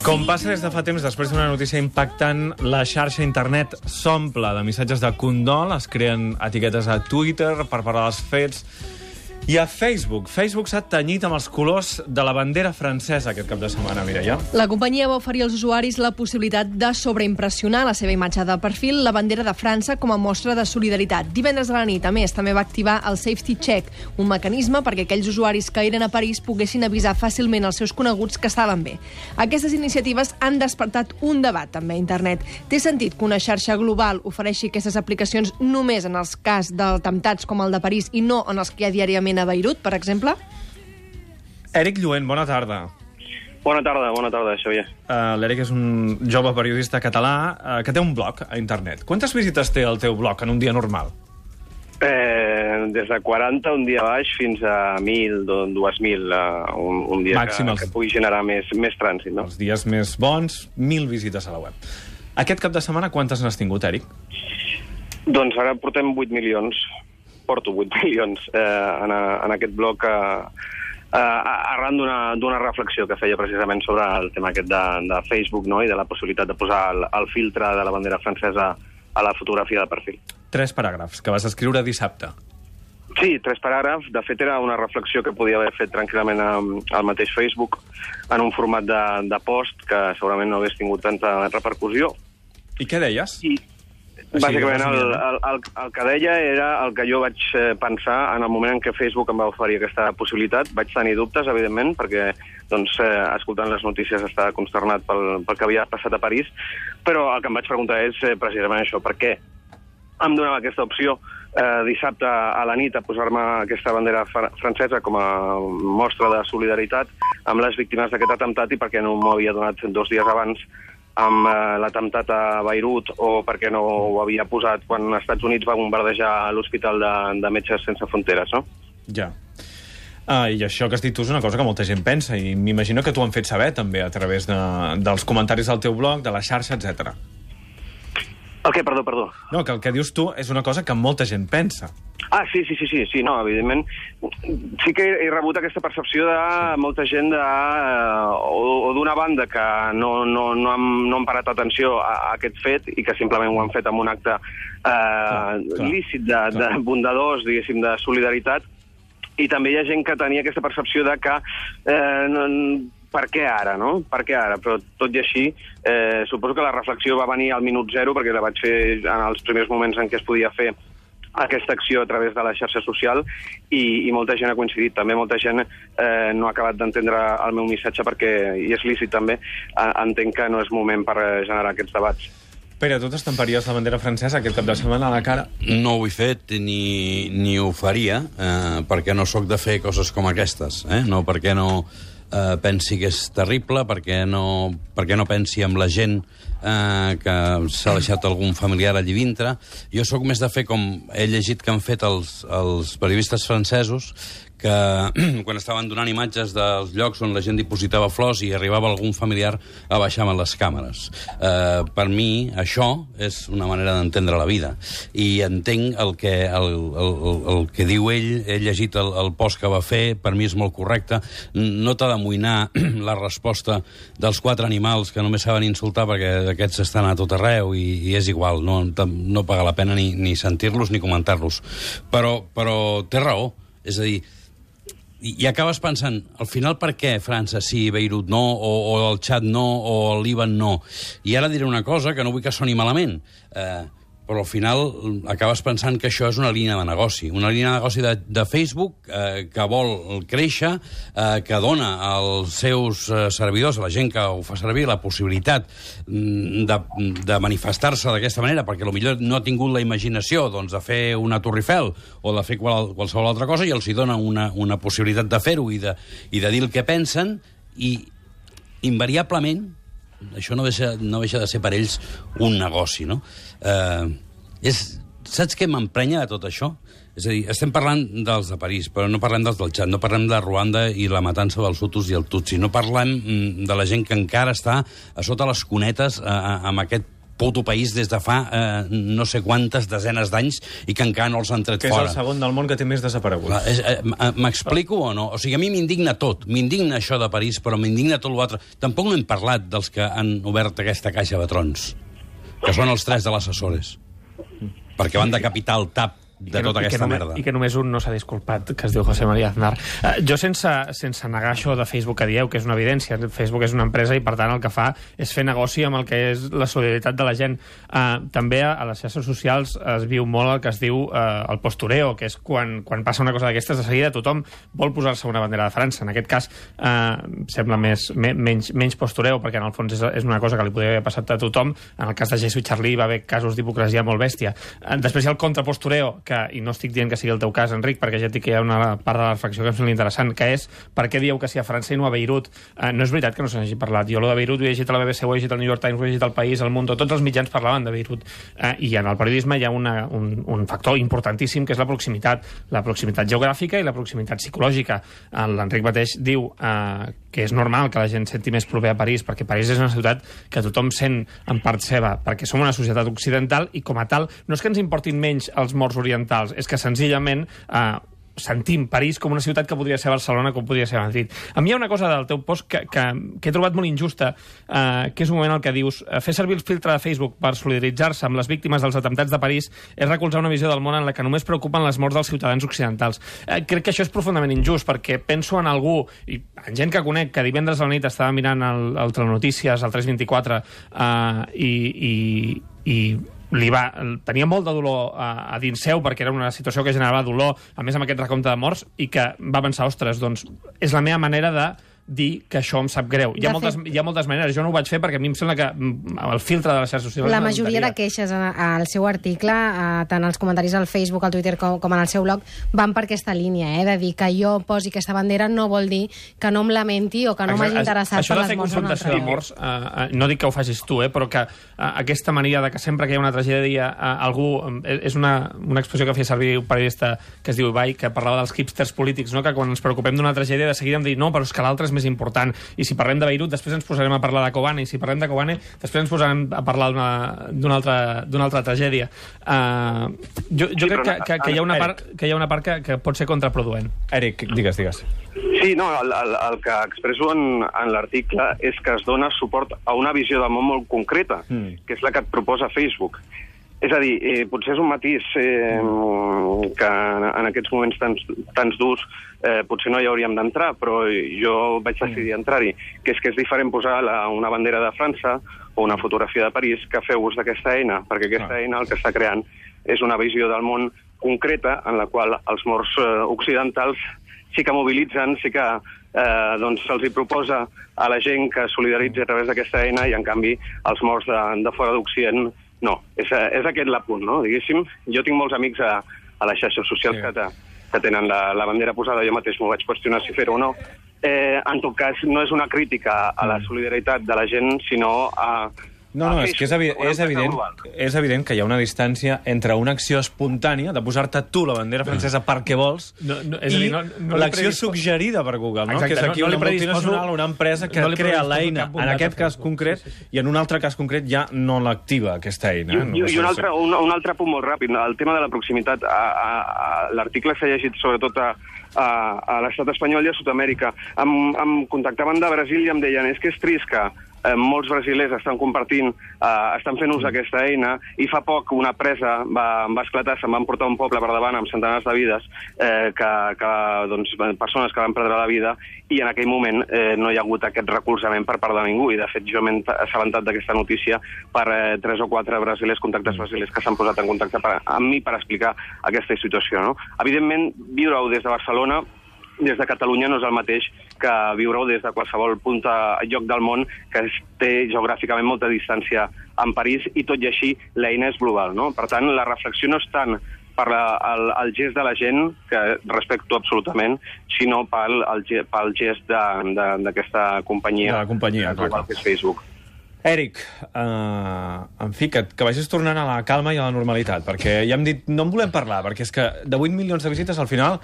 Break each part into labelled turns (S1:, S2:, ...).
S1: Com passa des de fa temps, després d'una notícia impactant, la xarxa internet s'omple de missatges de condol, es creen etiquetes a Twitter per parlar dels fets, i a Facebook. Facebook s'ha tenyit amb els colors de la bandera francesa aquest cap de setmana, Mireia.
S2: La companyia va oferir als usuaris la possibilitat de sobreimpressionar la seva imatge de perfil, la bandera de França, com a mostra de solidaritat. Divendres a la nit, a més, també va activar el Safety Check, un mecanisme perquè aquells usuaris que eren a París poguessin avisar fàcilment als seus coneguts que estaven bé. Aquestes iniciatives han despertat un debat també a internet. Té sentit que una xarxa global ofereixi aquestes aplicacions només en els cas d'atemptats com el de París i no en els que hi ha diàriament a Beirut, per exemple?
S1: Eric Lluent, bona tarda.
S3: Bona tarda, Xavier.
S1: L'Eric és un jove periodista català que té un blog a internet. Quantes visites té el teu blog en un dia normal?
S3: Des de 40 un dia baix fins a 1.000, 2.000 un dia que pugui generar més trànsit, no?
S1: Els dies més bons, 1.000 visites a la web. Aquest cap de setmana quantes n'has tingut, Eric?
S3: Doncs ara portem 8 milions. Porto 8 milions en aquest blog arran d'una reflexió que feia precisament sobre el tema aquest de Facebook, no? I de la possibilitat de posar el filtre de la bandera francesa a la fotografia de perfil.
S1: 3 paràgrafs que vas escriure dissabte.
S3: Sí, 3 paràgrafs. De fet, era una reflexió que podia haver fet tranquil·lament al mateix Facebook en un format de post que segurament no hagués tingut tanta repercussió.
S1: I què deies?
S3: Bàsicament, el que deia era el que jo vaig pensar en el moment en què Facebook em va oferir aquesta possibilitat. Vaig tenir dubtes, evidentment, perquè escoltant les notícies estava consternat pel que havia passat a París, però el que em vaig preguntar és precisament això, per què em donava aquesta opció dissabte a la nit a posar-me aquesta bandera francesa com a mostra de solidaritat amb les víctimes d'aquest atemptat i per què no m'ho havia donat 2 dies abans amb l'atemptat a Beirut o perquè no ho havia posat quan els Estats Units va bombardejar l'Hospital de Metges Sense Fronteres, no?
S1: Ja. I això que has dit tu és una cosa que molta gent pensa i m'imagino que t'ho han fet saber també a través dels comentaris del teu blog, de la xarxa, etc.
S3: El què? Perdó.
S1: No, que el que dius tu és una cosa que molta gent pensa.
S3: Sí, no, evidentment. Sí que he rebut aquesta percepció de molta gent o d'una banda que no han parat atenció a aquest fet i que simplement ho han fet amb un acte lícit, bondadós, diguéssim, de solidaritat. I també hi ha gent que tenia aquesta percepció de que per què ara, no? Per què ara? Però tot i així, suposo que la reflexió va venir al minut zero, perquè la vaig fer en els primers moments en què es podia fer aquesta acció a través de la xarxa social i molta gent ha coincidit. També molta gent no ha acabat d'entendre el meu missatge perquè, i és lícit també, entenc que no és moment per generar aquests debats.
S1: Pere, tu t'estamparies la bandera francesa aquest cap de setmana a la cara?
S4: No ho he fet ni ho faria, perquè no sóc de fer coses com aquestes. No, perquè no pensi que és terrible, perquè no pensi en la gent que s'ha deixat algun familiar allí dintre. Jo sóc més de fer com he llegit que han fet els periodistes francesos, que quan estaven donant imatges dels llocs on la gent dipositava flors i arribava algun familiar a baixar amb les càmeres. Per mi, això és una manera d'entendre la vida. I entenc el que diu ell, he llegit el post que va fer, per mi és molt correcte. No t'ha d'amoïnar la resposta dels 4 animals que només saben insultar perquè aquests estan a tot arreu i és igual, no paga la pena ni sentir-los ni comentar-los. Però té raó, és a dir, i acabes pensant, al final per què França sí, Beirut no, o el Txad no, o el Líban no? I ara diré una cosa que no vull que soni malament, però al final acabes pensant que això és una línia de negoci. Una línia de negoci de Facebook que vol créixer, que dona als seus servidors, a la gent que ho fa servir, la possibilitat de manifestar-se d'aquesta manera, perquè potser no ha tingut la imaginació de fer una Torre Eiffel o de fer qualsevol altra cosa, i els hi dona una possibilitat de fer-ho i de dir el que pensen, i invariablement això no deixa de ser per ells un negoci, no? Saps què m'emprenya de tot això? És a dir, estem parlant dels de París, però no parlem dels del Txad, no parlem de Ruanda i la matança dels Hutus i el Tutsi, no parlem de la gent que encara està a sota les cunetes amb aquest puto país des de fa no sé quantes desenes d'anys i que encara no els han tret fora.
S1: Que és el segon del món que té més desapareguts.
S4: M'explico o no? O sigui, a mi m'indigna tot. M'indigna això de París, però m'indigna tot l'altre. Tampoc no hem parlat dels que han obert aquesta caixa de trons, que són els 3 de les Açores, perquè van decapitar el TAP de tota aquesta merda.
S5: I que només un no s'ha disculpat, que es diu José María Aznar. Jo, sense negar això de Facebook que dieu, que és una evidència, Facebook és una empresa i, per tant, el que fa és fer negoci amb el que és la solidaritat de la gent. També a les xarxes socials es viu molt el que es diu el postureo, que és quan passa una cosa d'aquestes, de seguida tothom vol posar-se una bandera de França. En aquest cas, sembla menys postureo, perquè en el fons és una cosa que li podria haver passat a tothom. En el cas de Jesús Charlie va haver casos d'hipocresia molt bèstia. Després hi ha el contrapostureo, i no estic dient que sigui el teu cas, Enric, perquè ja et dic que hi ha una part de la reflexió que em sembla interessant, que és per què dieu que sí a França i no a Beirut. No és veritat que no se n'hagi parlat. Jo lo de Beirut ho he llegit a la BBC, ho he llegit al New York Times, ho he llegit al País, al Mundo, tots els mitjans parlaven de Beirut. I en el periodisme hi ha un factor importantíssim, que és la proximitat geogràfica i la proximitat psicològica. L'Enric mateix diu que és normal que la gent senti més proper a París, perquè París és una ciutat que tothom sent en part seva, perquè som una societat occidental i, com a tal, no és que ens importin menys els morts orientals, és que senzillament sentim París com una ciutat que podria ser Barcelona, com podria ser Madrid. A mi hi ha una cosa del teu post que he trobat molt injusta, que és un moment en el que dius fer servir el filtre de Facebook per solidaritzar-se amb les víctimes dels atemptats de París és recolzar una visió del món en la que només preocupen les morts dels ciutadans occidentals. Crec que això és profundament injust, perquè penso en algú, i en gent que conec, que divendres a la nit estava mirant el Telenotícies, el 324, i tenia molt de dolor a dins seu, perquè era una situació que generava dolor, a més amb aquest recompte de morts, i que va pensar, ostres, doncs és la meva manera de dir que això em sap greu. Hi ha moltes maneres. Jo no ho vaig fer perquè a mi em sembla que el filtre de les xarxes socials...
S6: La majoria de queixes al seu article, tant els comentaris al Facebook, al Twitter, com en el seu blog, van per aquesta línia, de dir que jo posi aquesta bandera no vol dir que no em lamenti o que no m'hagi interessat per les morts d'un altre.
S5: Això de fer confrontació de morts, no dic que ho facis tu, però que aquesta mania de que sempre que hi ha una tragèdia algú... És una expressió que feia servir un periodista que es diu Ibai, que parlava dels hipsters polítics, no? Que quan ens preocupem d'una tragèdia de seguida hem de dir no, però és que l'altre és més important. I si parlem de Beirut, després ens posarem a parlar de Kobane, i si parlem de Kobane, després ens posarem a parlar d'una altra tragèdia. Jo crec que hi ha una part que pot ser contraproduent.
S1: Eric, digues.
S3: Sí, no, el que expresso en l'article és que es dona suport a una visió del món molt concreta, que és la que et proposa Facebook. És a dir, potser és un matís que en aquests moments tants durs potser no hi hauríem d'entrar, però jo vaig decidir entrar-hi, que és diferent posar una bandera de França o una fotografia de París que fer ús d'aquesta eina, perquè aquesta eina el que està creant és una visió del món concreta en la qual els morts occidentals sí que mobilitzen, sí que se'ls hi proposa a la gent que solidaritzi a través d'aquesta eina i, en canvi, els morts de fora d'Occident no. És aquest l'apunt, no? Diguéssim, jo tinc molts amics a les xarxes socials que tenen la bandera posada, jo mateix m'ho vaig qüestionar si fer-ho o no. En tot cas, no és una crítica a la solidaritat de la gent, sinó a...
S1: No, és que és evident que hi ha una distància entre una acció espontània, de posar-te tu la bandera francesa perquè vols, i l'acció suggerida per Google, no? Que és aquí una multinacional, una empresa que crea l'eina, en aquest cas concret, i en un altre cas concret ja no l'activa, aquesta eina.
S3: I un altre punt molt ràpid, el tema de la proximitat. L'article s'ha llegit sobretot a l'estat espanyol i a Sud-amèrica. Em contactaven de Brasil i em deien és que és trist que molts brasilers estan compartint, estan fent ús d'aquesta eina, i fa poc una presa va esclatar, se'n van portar un poble per davant amb centenars de vides, persones que van perdre la vida, i en aquell moment no hi ha hagut aquest recolzament per part de ningú, i de fet jo m'he assabentat d'aquesta notícia per 3 o 4 brasilers, contactes brasilers que s'han posat en contacte amb mi per explicar aquesta situació, no? Evidentment, viure-ho des de Barcelona, des de Catalunya, no és el mateix que viure-ho des de qualsevol punt lloc del món que té geogràficament molta distància amb París, i tot i així l'eina és global, no? Per tant, la reflexió no és tant per el gest de la gent, que respecto absolutament, sinó pel gest d'aquesta companyia global que és Facebook.
S1: Eric, en fi, que vagis tornant a la calma i a la normalitat, perquè ja hem dit, no en volem parlar, perquè és que de 8 milions de visites al final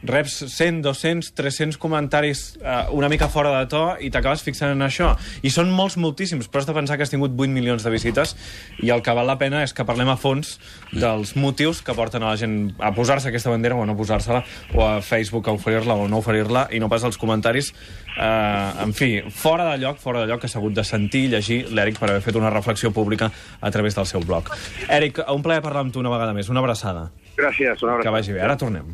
S1: reps 100, 200, 300 comentaris una mica fora de to i t'acabes fixant en això. I són moltíssims, però has de pensar que has tingut 8 milions de visites i el que val la pena és que parlem a fons dels motius que porten a la gent a posar-se aquesta bandera o a no posar-se-la, o a Facebook a oferir-la o no oferir-la, i no pas els comentaris en fi, fora de lloc que s'ha hagut de sentir i llegir l'Eric per haver fet una reflexió pública a través del seu blog. Eric, un plaer parlar amb tu una vegada més. Una abraçada.
S3: Gràcies, una abraçada.
S1: Que vagi bé. Ara tornem.